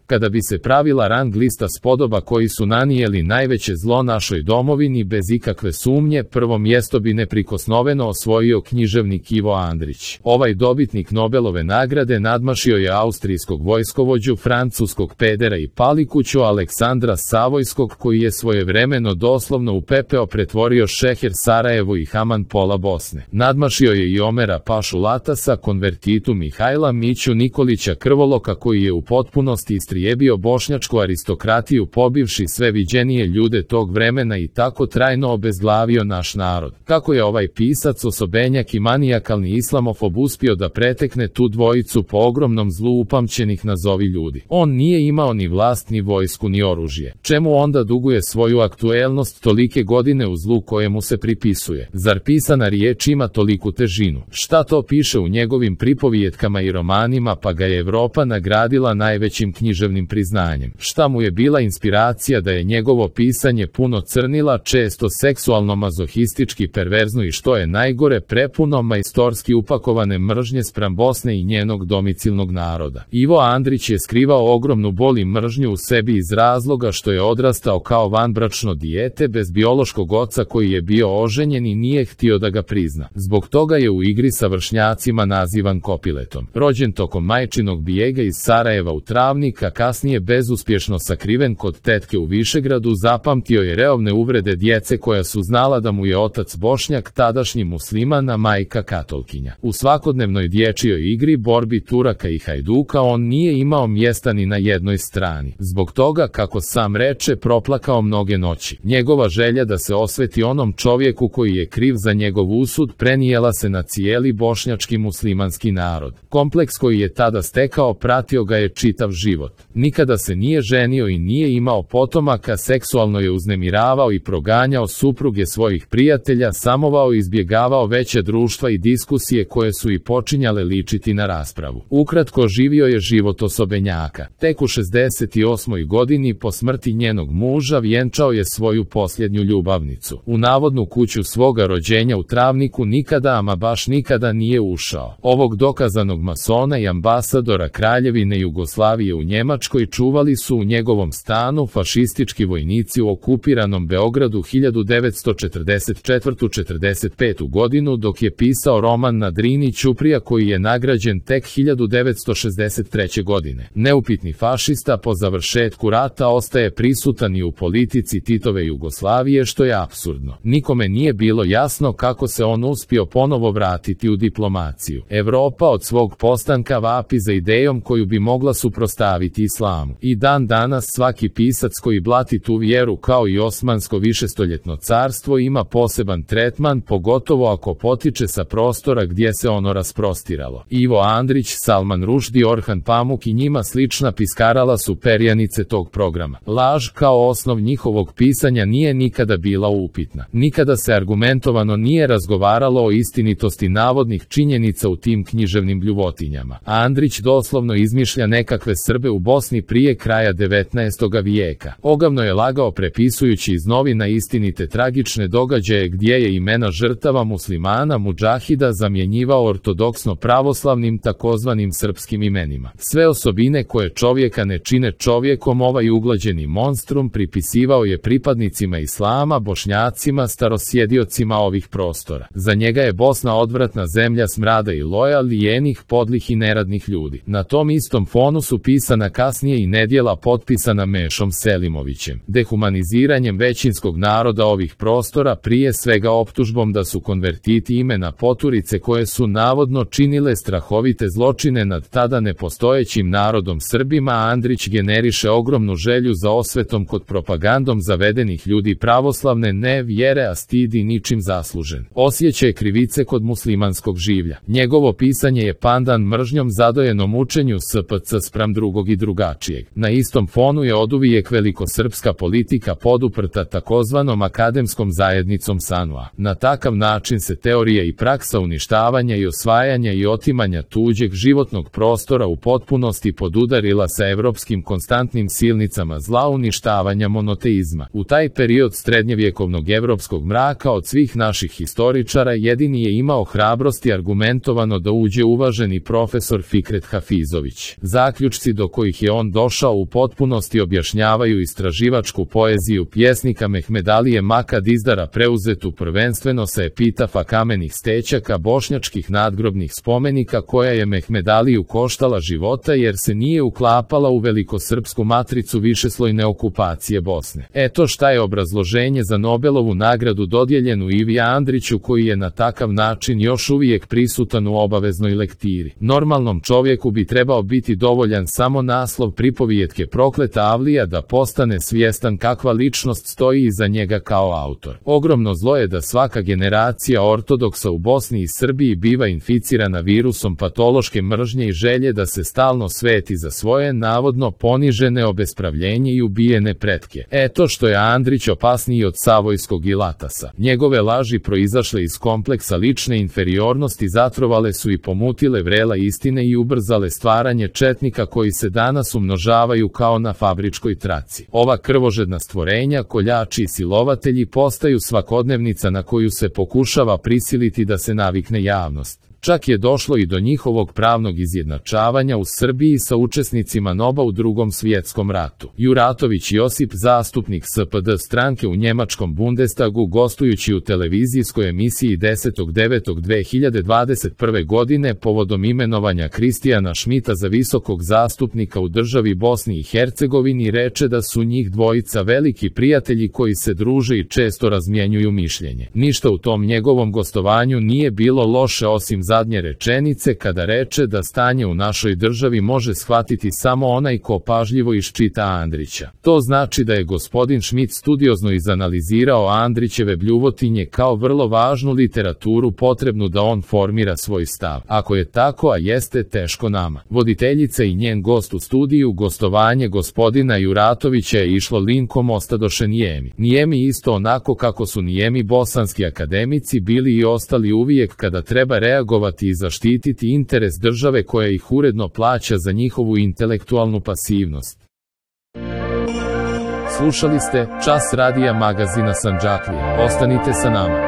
Kada bi se pravila rang lista spodoba koji su nanijeli najveće zlo našoj domovini, bez ikakve sumnje, prvo mjesto bi neprikosnoveno osvojio književnik Ivo Andrić. Ovaj dobitnik Nobelove nagrade nadmašio je austrijskog vojskovođu, francuskog pedera i palikuću Aleksandra Savojskog, koji je svojevremeno doslovno u pepeo pretvorio Šeher Sarajevo i Haman pola Bosne. Nadmašio je i Omera Pašu Latasa, konvertitu Mihajla Miću Nikolića Krvoloka, koji je u potpunosti istrijebio bošnjačku aristokratiju, pobivši sve viđenije ljude tog vremena i tako trajno obezglavio naš narod. Kako je ovaj pisac, osobenjak i manijakalni islamofob uspio da pretekne tu dvojicu po ogromnom zlu upamćenih nazovi ljudi? On nije imao ni vlast, ni vojsku, ni oružje. Čemu onda duguje svoju aktuelnost tolike godine u zlu kojemu se pripisuje? Zar pisana riječ ima toliku težinu? Šta to piše u njegovim pripovijetkama i romanima, pa ga je Evropa nagradila najvećim književnim priznanjem? Šta mu je bila inspiracija da je njegovo pisanje puno crnila, često seksualno mazohistički perverzno i, što je najgore, prepuno majstorski upakovane mržnje spram Bosne i njenog domicilnog naroda? Ivo Andrić je skrivao ogromnu bol i mržnju u sebi iz razloga što je odrastao kao vanbračno dijete bez biološkog oca koji je bio oženjen i nije htio da ga prizna. Zbog toga je u igri sa vršnjacima nazivan Kopiletom. Rođen tokom majčinog bijega iz Sarajeva u Travnik, a kasnije bezuspješno sakriven kod tetke u Višegradu, zapamtio je reovne uvrede djece koja su znala da mu je otac Bošnjak, tadašnji musliman, a majka katolkinja. U svakodnevnoj dječjoj igri, borbi Turaka i Hajduka, on nije imao mjesta ni na jednoj strani. Zbog toga, kako sam reče, proplakao mnoge noći. Njegova želja da se osveti onom čovjeku koji je kriv za njegov usud prenijela se na cijeli bošnjački muslimanski narod. Kompleks koji je tada stekao pratio ga je čitav život. Nikada se nije ženio i nije imao potomaka, seksualno je uznemiravao i proganjao supruge svojih prijatelja, samovao i izbjegavao veće društva i diskusije koje su i počinjale ličiti na raspravu. Ukratko, živio je život osobenjaka. Tek u 68. godini po smrti njenog muža vjenčao je svoju posljednju ljubavnicu. U navodnu kuću svoga rođenja u Travniku nikada, ama baš nikada nije ušao. Ovog dokazanog masona i ambasadora Kraljevine Jugoslavije u Njemačkoj čuvali su u njegovom stanu fašistički vojnici u okupiranom Beogradu 1944-45. godinu, dok je pisao roman Na Drini Ćuprija, koji je nagrađen tek 1963. godine. Neupitni fašista po završetku rata ostaje prisutan i u politici Titove Jugoslavije, što je apsurdno. Nikome nije bilo jasno kako se on uspio ponovo vratiti u diplomaciju. Evropa od svog postanka vapi za idejom koju bi mogla suprotstaviti islamu. I dan danas svaki pisac koji blati tu vjeru, kao i Osmansko višestoljetno carstvo, ima poseban tretman, pogotovo ako potiče sa prostora gdje se ono rasprostiralo. Ivo Andrić, Salman Rushdie, Orhan Pamuk i njima slična piskarala su perjanice tog programa. Laž kao osnov njihovog pisanja nije nikada bila upitna. Nikada se argumentovano nije razgovaralo o istinitosti navodnih činjenica u tim književnim bljuvotinjama. Andrić doslovno izmišlja nekakve Srbe u Bosni prije kraja 19. vijeka. Ogavno je lagao prepisujući iz novina istinite tragične događaje gdje je imena žrtava muslimana mudžahida zamjenjivao ortodoksno pravoslavnim takozvanim srpskim imenima. Sve osobine koje čovjeka ne čine čovjekom ovaj uglađeni monstrum pripisivao je pripadnicima islama, Bošnjacima, starosjediocima ovih prostora. Za njega je Bosna odvratna zemlja smrada i loja, lijenih, podlih i neradnih ljudi. Na tom istom fonu su pisana kasnije i nedjela potpisana Mešom Selimovićem. Dehumaniziranjem većinskog naroda ovih prostora, prije svega optužbom da su konvertiti imena poturice koje su navodno činile strahovite zločine nad tada nepostojećim narodom Srbima, Andrić generiše ogromnu želju za osvetom kod propagandom zavedenih ljudi pravoslavne ne vjere, a stidi ničim zaslužen. Osjećaj krivice kod muslimanskog življa. Njegovo pisanje je pandan mržnjom zadojenom učenju SPC spram drugog i drugačijeg. Na istom fonu je oduvijek velikosrpska politika poduprta takozvanom akademskom zajednicom SANU-a. Na takav način se teorija i praksa uništavanja i osvajanja i otimanja tuđeg životnog prostora u potpunosti podudarila sa evropskim konstantnim silnicama zla uništavanja monoteizma. U taj period srednjevjekovnog evropskog mraka od svih naših historičara jedini je imao hrabrosti argumentovano da uđe uvaženi profesor Fikret Hafizović. Zaključci do kojih je je on došao u potpunosti objašnjavaju istraživačku poeziju pjesnika Mehmedalije Maka Dizdara preuzetu prvenstveno sa epitafa kamenih stećaka bošnjačkih nadgrobnih spomenika koja je Mehmedaliju koštala života jer se nije uklapala u velikosrpsku matricu višeslojne okupacije Bosne. Eto šta je obrazloženje za Nobelovu nagradu dodijeljenu Ivi Andriću koji je na takav način još uvijek prisutan u obaveznoj lektiri. Normalnom čovjeku bi trebao biti dovoljan samo naslov pripovijetke Prokleta Avlija da postane svjestan kakva ličnost stoji iza njega kao autor. Ogromno zlo je da svaka generacija ortodoksa u Bosni i Srbiji biva inficirana virusom patološke mržnje i želje da se stalno sveti za svoje navodno ponižene, obespravljenje i ubijene pretke. Eto što je Andrić opasniji od Savojskog i Latasa. Njegove laži proizašle iz kompleksa lične inferiornosti zatrovale su i pomutile vrela istine i ubrzale stvaranje četnika koji se danas umnožavaju kao na fabričkoj traci. Ova krvožedna stvorenja, koljači i silovatelji postaju svakodnevnica na koju se pokušava prisiliti da se navikne javnost. Čak je došlo i do njihovog pravnog izjednačavanja u Srbiji sa učesnicima NOB-a u Drugom svjetskom ratu. Juratović Josip, zastupnik SPD stranke u njemačkom Bundestagu, gostujući u televizijskoj emisiji 10.9.2021. godine povodom imenovanja Kristijana Šmita za visokog zastupnika u državi Bosni i Hercegovini, reče da su njih dvojica veliki prijatelji koji se druže i često razmjenjuju mišljenje. Ništa u tom njegovom gostovanju nije bilo loše osim zadnje rečenice kada reče da stanje u našoj državi može shvatiti samo onaj ko pažljivo iščita Andrića. To znači da je gospodin Šmit studiozno izanalizirao Andrićeve bljuvotinje kao vrlo važnu literaturu potrebnu da on formira svoj stav. Ako je tako, a jeste, teško nama. Voditeljica i njen gost u studiju, gostovanje gospodina Juratovića je išlo linkom ostadoše nijemi. Nijemi isto onako kako su nijemi bosanski akademici bili i ostali uvijek kada treba reagovati i zaštititi interes države koja ih uredno plaća za njihovu intelektualnu pasivnost. Slušali ste Čas radija magazina Sandžaklija. Ostanite sa nama.